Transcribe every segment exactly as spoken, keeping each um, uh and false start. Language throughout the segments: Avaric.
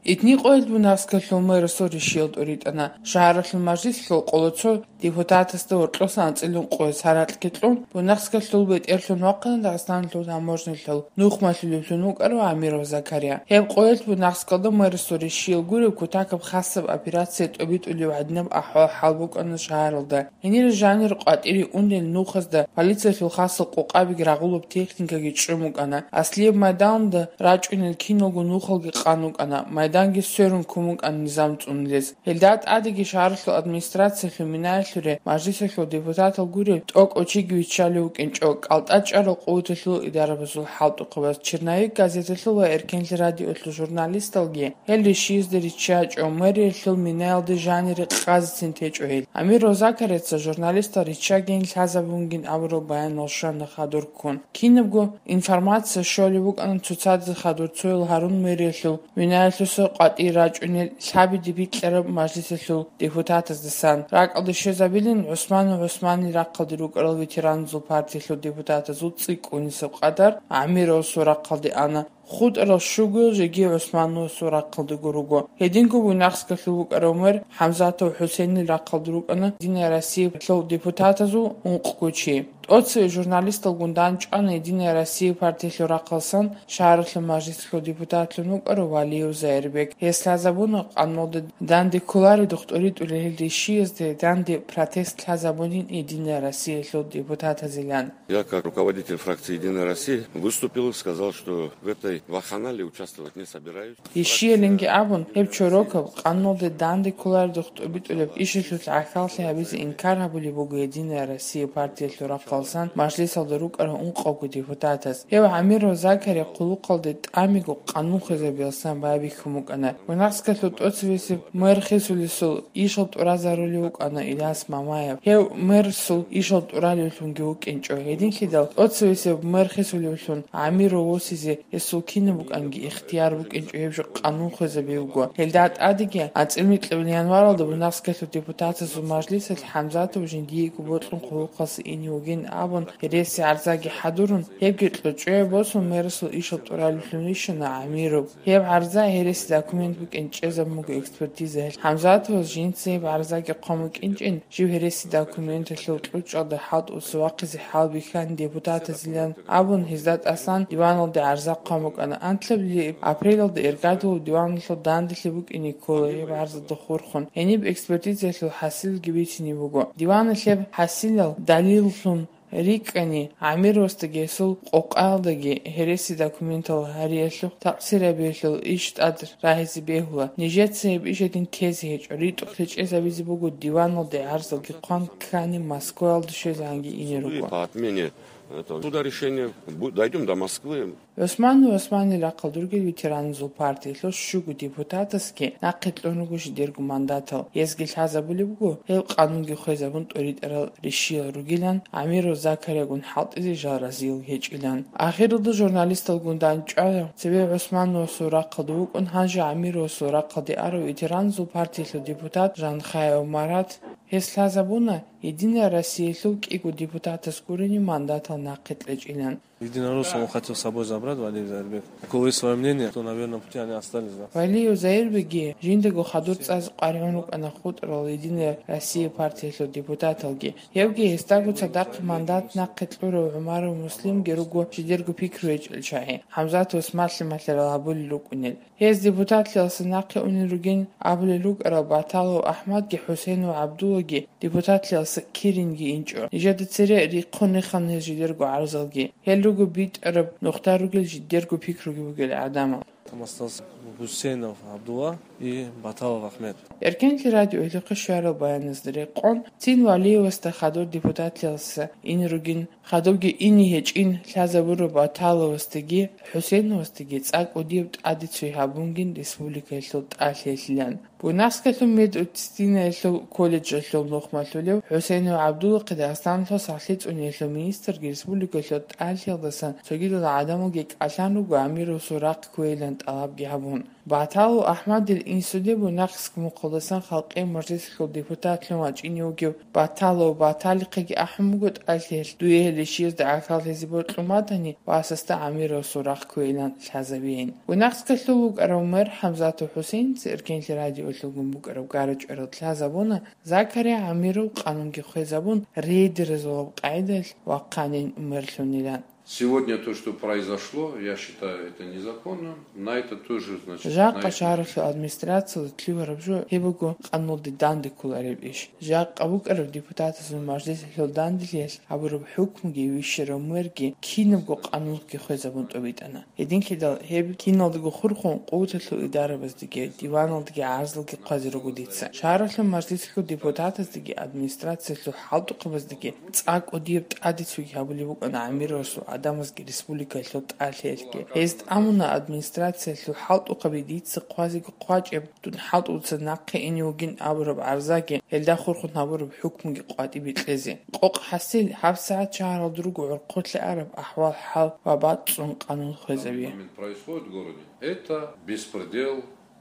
Итни къоялъ Буйнакскалъул мэрасул ришиял тӀуритӀана. Шагьаралъул мажлислъул къоло цо депутатасда гьоркьосан анцӀила ункъоялъ гьаракьги кьун, Буйнакскалъул бетӀерлъун вахъана Дагъистаналъул таможнялъул нухмалъулевлъун вукӀарав Амиров Закария. Гьеб къоялъ Буйнакскалда мэрасул ришиял гуреб кутакаб хасаб операция тӀобитӀулеб гӀадинаб ахӀвал-хӀал букӀана шагьаралда. Гьенир жанир къватӀире унел нухазда полициялъул хасал къокъабиги рагъулаб техникаги чӀун букӀана. Аслияб майданда рачӀунел киналго нухалги къан букӀана, майданги сверун ккун букӀана низам цӀунулез. Гьелда тӀадеги шагьаралъул администрациялъул минаялъуре мажлисалъул депутатал гуреб тӀокӀав чиги виччалев вукӀинчӀо, кӀалтӀа чӀарал къуваталъул идарабазул хӀалтӀухъабаз. Черновик газеталъул ва Эркенлъи радиолъул журналисталги гьел ришиязда риччачӀо, мэриялъул минаялде жанире къазецин течӀо гьел. Амиров Закарияца журналистал риччагийин лъазабунгин абурал баянал щвана хадур ккун. Кинабго информация щолеб букӀана цоцазе хадур цоял гьарун мэриялъул минаялъуса къватӀире рачӀунел лъабиде бикьараб мажлисалъул депутатаздасан. РакӀалде щвезабилин ГӀусманов ГӀусманил рахъалде рукӀарал ветеранзул партиялъул депутатазул цӀикӀкӀунисеб къадар Амировасул рахъалде ана. ХутӀарал щугоял жеги ГӀусмановасул рахъалдаго руго. Гьединго Буйнакскалъул вукӀарав мэр ХӀамзатов ХӀусейнил рахъалда рукӀана Единая Россиялъул депутатазул ункъго чи. ТӀоцеве журналисталгун дандчӀвана Единая Россия партиялъул рахъалсан шагьаралъул мажлислъул депутатлъун вукӀарав Валиев Заирбек. Гьес лъазабуна къануналда данде кколареб духтӀуритӀулел гьел ришиязде данде протест лъазабунин Единая Россиялъул депутатазилан. Я как руководитель фракции «Единая Россия» выступил и сказал, что в этой вакханалии участвовать не собираюсь. Ишиялинги абун, гьеб чорокаб, къануналде данде кколареб духтӀуритӀулеб ишалъулъ гӀахьаллъи гьабизе инкар гьабулеб буго Единая Россия партиялъул рахъалсан мажлисалда рукӀарал ункъавго депутатас. Гьев Амиров Закария хъулухъалде тӀамиго къанун хвезабиялсан байбихьун букӀана. Буйнакскалъул тӀоцевесеб мэр хисулесул ишал тӀуразарулев вукӀана Ильяс Мамаев. Гьев мэрасул ишал тӀуралевлъунги вукӀинчӀо. Гьединлъидал тӀоцевесеб мэр хисулевлъун Амиров восизе гьесул кинаб букӀанги ихтияр букӀинчӀо, гьеб жо къанун хвезабизе буго. Гьелда тӀадеги анцӀила микьабилеб январалда Буйнакскалъул депутатазул мажлисалъ ХӀамзатов жиндиего бокьун хъулухъалъе ине вугин абун гьереси гӀарзаги хӀадурун, гьебги кьучӀое босун мэрасул ишал тӀуралевлъун вищана Амиров. Гьеб гӀарза гьереси документ букӀин чӀезабун буго экспертизаялъ. ХӀамзатовас жинца гьеб гӀарзаги хъван букӀинчӀин, жив гьереси документалъул кьучӀалда хӀалтӀуса вахъизе хӀалбихьани депутатазилан абун, гьезда тӀасан диваналде гӀарза хъван букӀана. Анлъабилеб апрелалда эргадулаб диваналъул данделъи букӀине ккола гьеб гӀарзалда хурхун. Гьениб экспертизаялъул хӀасилги бицине буго. Диваналъ гьеб хӀасилал далиллъун рикӀкӀани, Амировасдаги гьесул къокъаялдаги гьереси документал гьариялъухъ такъсир гьабиялъул иш тӀад рагьизе бегьула. Нижеца гьеб иш гьедин тезе гьечӀо, ритӀухълъи чӀезабизе буго диваналде гӀарзалги хъван ккани Москваялде щвезегӀанги ине руго. По отмене этого суда решения бу-, дойдём до Москвы. ГӀусманов ГӀусманил рахъалда ругел ветеранзул партиялъул щуго депутатасги нахъе кьун руго жидерго мандатал. Гьезги лъазабулеб буго, гьеб къанунги хвезабун тӀоритӀарал ришиял ругилан, Амиров Закариягун хӀалтӀизе жал разиял гьечӀилан. Ахиралда журналисталгун дандчӀвана цебе ГӀусмановасул рахъалда вукӀун, гьанже Амировасул рахъалде арав ветеранзул партиялъул депутат Жанхаев Марат. Гьес лъазабуна, Единая Россиялъул кӀиго депутатас гурени мандатал нахъе кьечӀилан. Единороссов он хотел с собой забрать, Валерий Зайрбек. У кого есть своё мнение, то, наверное, пути они остались, да. Валиев Заирбекги жиндаго хадур цӀазе къваригӀун рукӀана хутӀарал Единая Россия партиялъул депутаталги. Гьевги гьесдаго цадахъ мандат нахъе кьурав ГӀумаров Муслимги руго жидерго пикру гьечӀел чагӀи, ХӀамзатовас малъи-малъарал гьабулел рукӀунел. Гьез депутатлъиялса нахъе унел ругин абулел рукӀарал Баталов АхӀмадги ХӀусейнов ГӀабдуллаги депутатлъиялса киринги инчӀо. Нижеда цере рихъун рехана гьез жидерго гӀарзалги. Гьел руго битӀараб нухда ругел жидерго пикруги бугел гӀадамал. Там остался Гусейнов Абдулла и Баталов Ахмед. Эркенлъи радиоялъухъе щварал баяназда рекъон, цин Валиевасда хадур депутатлъиялса ин ругин, хадубги ине гьечӀин лъазабураб Баталовасдаги ХӀусейновасдаги цӀакъ кӀудияб тӀаде цой гьабунгин республикаялъул тӀалъиялъилан. Буйнакскалъул медицинлъиялъул колледжалъул нухмалъулев ХӀусейнов ГӀабдуллахъе Дагъистаналъул сахлъи цӀуниялъул министрги республикалъул тӀалъиялдасан цогидал гӀадамалги кӀалъан руго Амировасул рахъ кквейилан тӀалабги гьабун. Баталов Ахмадил инсуде Буйнакскалъул мухъалдасан халкъи мажлисалъул депутатлъун вачӀине вугев Баталов Баталихъеги ахӀун буго тӀалъиялъ дуе гьелищиязда гӀахьал гьезие бокьун батани, васасда Амировасул рахъ кквейилан лъазабейин. Буйнакскалъул вукӀарав мэр ХӀамзатов ХӀусейница Эркенлъи радиоялъулгун букӀараб гара-чӀварал лъазабуна Закария Амиров къанунги хвезабун, рейдерзабураб къагӀидаялъ вахъанин мерлъунилан. Сегодня то, что произошло, я считаю это незаконным. На это тоже, значит, на Жакъа это шагьаралъул администрациялда лъугьараб жо гьеб буго къанулде данде кколареб иш. Жакъа букӀараб депутатазул мажлисалъул данделъиялъ гьабураб хӀукмуги вищарав мэрги кинабго къанунги хвезабун тӀобитӀана. Гьединлъидал гьеб киналдаго хурхун къуваталъул идарабаздеги, диваналдаги гӀарзалги хъвазе руго дица. Шагьаралъул мажлисалъул депутатаздеги администрациялъул хӀалтӀухъабаздеги цӀакъ кӀудияб тӀаде цоги гьабулеб букӀана Амировасул гӀадамазги республикалъул тӀалъиялъги. Гьез тӀамуна администрациялъул хӀалтӀухъаби дица хъвазеги хъвачӀеб, дун хӀалтӀуца нахъе ине вугин абураб гӀарзаги, гьелда хурхун гьабураб хӀукмуги къватӀибе кьезе. Къокъ хӀасил, гьабсагӀат шагьаралда руго гӀурхъулъе араб ахӀвал-хӀал ва бацӀцӀун къанун хвезаби. Момент происходит в городе. Это беспредел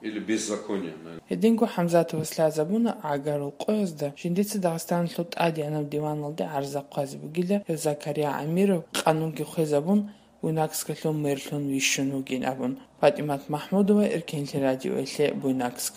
или беззаконие, наверное. Гьединго ХӀамзатовас лъазабуна гӀагарал къоязда, жиндица Дагъистаналъул тӀадегӀанаб диваналде гӀарза хъвазе бугила, гьев Закария Амиров къанунги хвезабун, Буйнакскалъул мерлъун вищун вугин абун. ПатӀимат МахӀмудова, Эркенлъи радиоялъе, Буйнакск.